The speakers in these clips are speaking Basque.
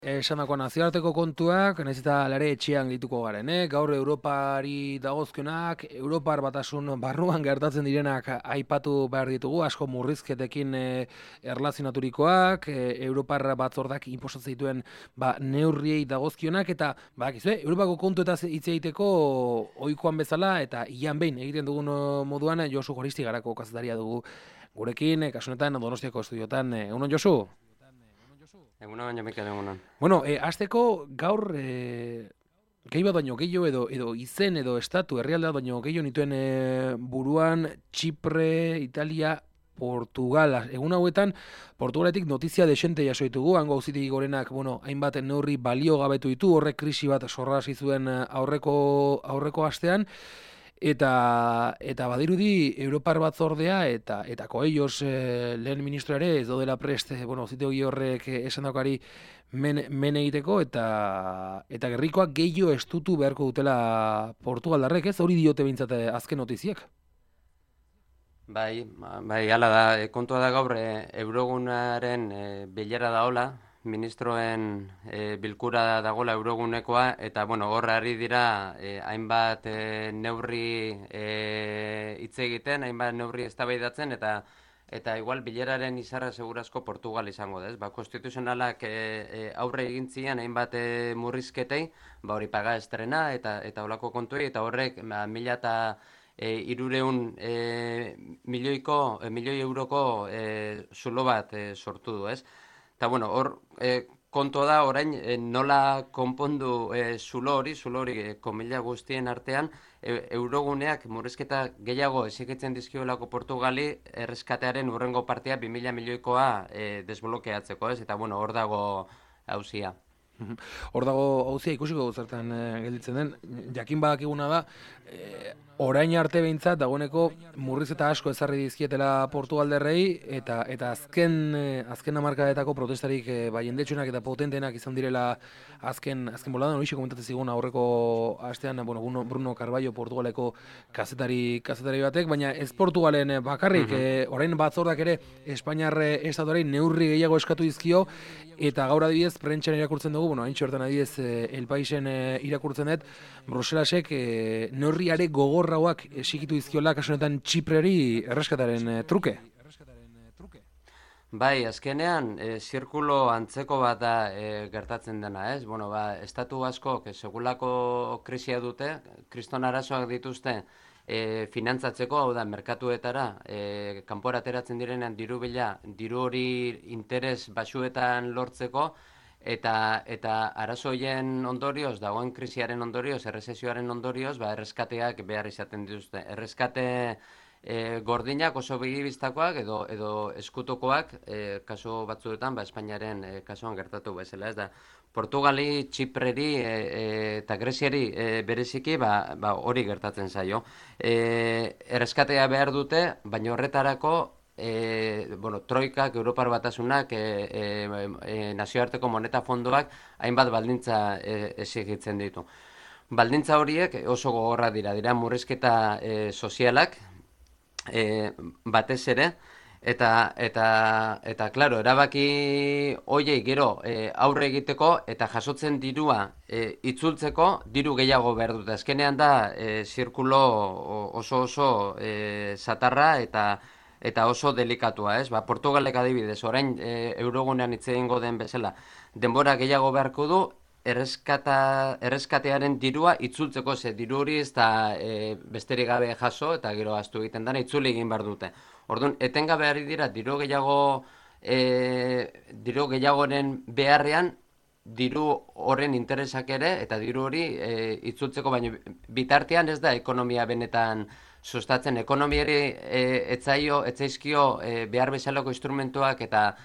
Esandakoa nazioarteko kontuak, nahiz eta lare etxean gehituko garen, gaur Europari dagozkionak, Europar batasun barruan gertatzen direnak aipatu behar ditugu, asko murrizketekin erlazionaturikoak, Europar batzordak inposatzen dituen neurriei dagozkionak, eta Europako kontuetaz hitz egiteko ohikoan bezala, eta ian behin egiten dugun moduan, Josu Goristigarako kazetaria dugu gurekin, kasu honetan Donostiako estudiotan. Egunon, Josu? Egunon, Mikel, egunon. Bueno, hasteko gaur gehi bat baino gehiago edo izen edo estatu herrialdea baino gehiago nituen buruan Txipre, Italia, Portugal. Egun hauetan Portugaletik notizia desente jaso ditugu, hango auzitegi gorenak, hainbat neurri balio gabetu ditu, horrek krisi bat sorrarazi zuen aurreko astean. Eta badirudi Europar batzordea eta Coellos lehen ministro ere ez daudela prest, auzitegi horrek esandakari men egiteko eta gerrikoak gehiago estutu beharko dutela Portugaldarrek, ez? Hori diote behintzat azken notiziak. Bai, hala da, kontua da gaur Eurogunaren bilera daola, ministroen bilkura dagoela Eurogunekoa, eta hor ari dira hainbat neurri hitz egiten, hainbat neurri eztabaidatzen, eta igual bileraren izarra segurazko Portugal izango da, ez? Konstituzionalak aurre egin zian hainbat murrizketei, hori paga estrena eta holako kontuei, eta horrek 1.300 milioi euroko zulo bat sortu du, ez? Eta hor kontua da orain nola konpondu zulo hori komila guztien artean, Euroguneak murrizketa gehiago exigitzen dizkiolako Portugali erreskatearen hurrengo partea 2.000 milioikoa desblokeatzeko, ez? Eta hor dago auzia. Hor dago auzia, ikusiko zertan gelditzen den. Jakin badakiguna da, orain arte behintzat dagoeneko murrizketa asko ezarri dizkietela Portugalderrei eta azken hamarkadetako protestarik jendetsuenak eta potentenak izan direla azken boladan. Horixe komentatzen zigun aurreko astean Bruno Carballo Portugaleko kazetari batek, baina ez Portugalen bakarrik, orain batzordak ere Espainiar estatuari neurri gehiago eskatu dizkio, eta gaur adibidez prentxan irakurtzen dugu, haintxe hortan adibidez El Paisen irakurtzen dut, Bruselasek neurriare gogorrauak exigitu dizkiola kasu honetan Txipreri erreskataren truke. Bai, azkenean zirkulo antzeko bat da gertatzen dena, ez? Estatu askok segulako krisia dute, kriston arazoak dituzte finantzatzeko, hau da, merkatuetara, kanpora ateratzen direnean diru hori interes baxuetan lortzeko, eta arazo horien ondorioz, dagoen krisiaren ondorioz, errezesioaren ondorioz, erreskateak behar izaten dituzte. Erreskate gordinak oso begibistakoak edo eskutokoak, kasu batzuetan, Espainiaren kasuan gertatu bezala, ez da. Portugali, Txipreri eta Greziari bereziki hori gertatzen zaio. Erreskatea behar dute, baina horretarako Troikak, Europar batasunak, nazioarteko moneta fondoak hainbat baldintza exigitzen ditu. Baldintza horiek oso gogorra dira murrizketa sozialak batez ere, eta claro, erabaki hoiei gero aurre egiteko eta jasotzen dirua itzultzeko diru gehiago behar dute. Azkenean da zirkulo oso satarra eta oso delikatua, ez? Portugalek adibidez, orain Eurogunean hitz egingo den bezala, denbora gehiago beharko du erreskatearen dirua itzultzeko, ze diru hori ez da besterik gabe jaso eta gero ahaztu egiten dena itzuli egin behar dute. Orduan, etengabe ari dira diru gehiagoren beharrean, diru horren interesak ere eta diru hori itzultzeko, baina bitartean ez da ekonomia benetan sustatzen. Ekonomiari etzaizkio behar bezalako instrumentuak eta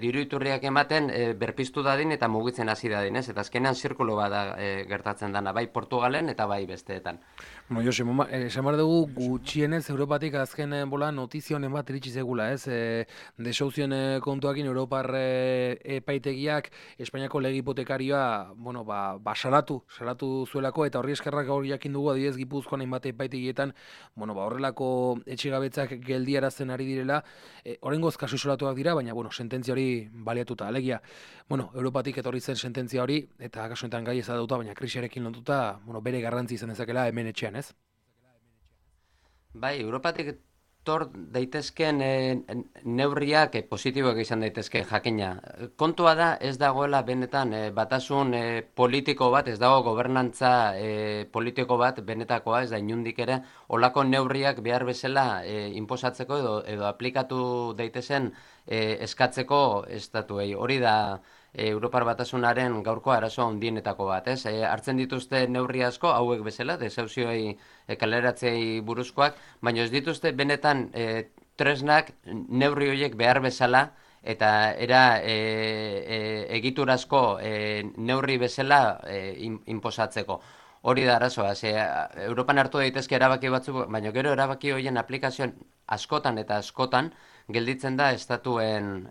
diru iturriak ematen berpiztu dadin eta mugitzen hasi dadin, ez? Eta azkenean zirkulo bada gertatzen dana, bai Portugalen eta bai besteetan. Jose, esan behar dugu gutxienez Europatik azken bola notizio honen bat iritsi zegula, ez? Desauzioen kontuakin Europar epaitegiak Espainiako lege hipotekarioa, salatu zuelako, eta horri eskerrak gaur jakin dugu adibidez Gipuzkoan hainbat epaitegietan, horrelako etxegabetzak geldiarazten ari direla. Oraingoz kasu isolatuak dira, baina sententzia sententzia hori baliatuta. Alegia, Europatik etorri zen sententzia hori, eta kasu honetan gai ezagatuta, baina krisiarekin lotuta, bere garrantzi izan dezakela hemen etxean, ez? Bai, Europatik etor daitezkeen neurriak positiboak izan daitezke jakina. Kontua da ez dagoela benetan batasun politiko bat, ez dago gobernantza politiko bat benetakoa, ez da inundik ere, olako neurriak behar bezala inposatzeko edo aplikatu daitezen eskatzeko estatuei. Hori da Europar Batasunaren gaurko arazo handienetako bat, ez? Hartzen dituzte neurri asko, hauek bezala, desauzioei kaleratzei buruzkoak, baina ez dituzte benetan tresnak neurri horiek behar bezala, eta era egiturazko neurri bezala inposatzeko. Hori da arazoa, Europan hartu daitezke erabaki batzuk, baina gero erabaki horien aplikazioan askotan eta askotan gelditzen da estatuen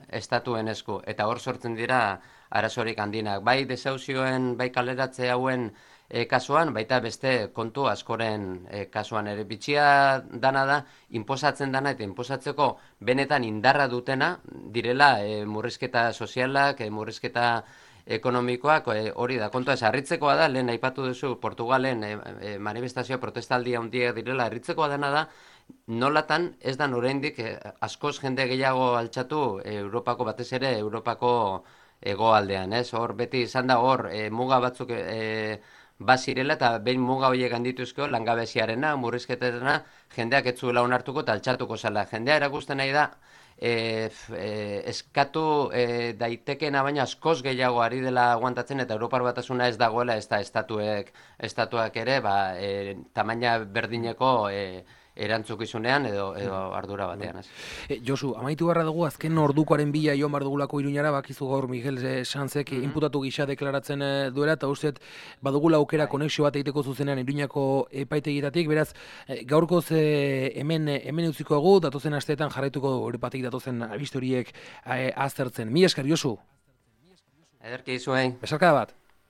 esku, eta hor sortzen dira arazorik handinak. Bai desauzioen, bai kaleratze hauen kasuan, baita beste kontu askoren kasuan ere. Bitxia dana da, inposatzen dana eta inposatzeko benetan indarra dutena direla murrizketa sozialak, murrizketa ekonomikoak, hori da, kontua ez, harritzekoa da, lehen aipatu duzu, Portugalen manifestazio protestaldia handiak direla, harritzekoa dena da, nolatan ez da oraindik askoz jende gehiago altxatu Europako, batez ere Europako hegoaldean, ez? Hor beti izan da hor muga batzuk bazirela eta behin muga horiek handituzko langabeziarena, murrizketetena, jendeak ez zuela onartuko eta altxatuko zela. Jendea erakusten nahi da eskatu daitekena baina askoz gehiago ari dela aguantatzen eta Europar Batasuna ez dagoela ez da estatuak ere tamaina berdineko erantzukizunean edo ardura batean. Josu, amaitu barra dugu azken ordukoaren bila joan bar dugulako Iruñara, bakizu gaur Miguel Sanzek inputatu gisa deklaratzen duela, eta usteet badugula aukera konexio bat egiteko zuzenean Iruñako epaitegitatik, beraz gaurkoz hemen utziko dugu, datozen asteetan jarraituko dugu Europatik datozen albiste horiek aztertzen. Mila esker, Josu. Ederki zuei. Besarkada bat.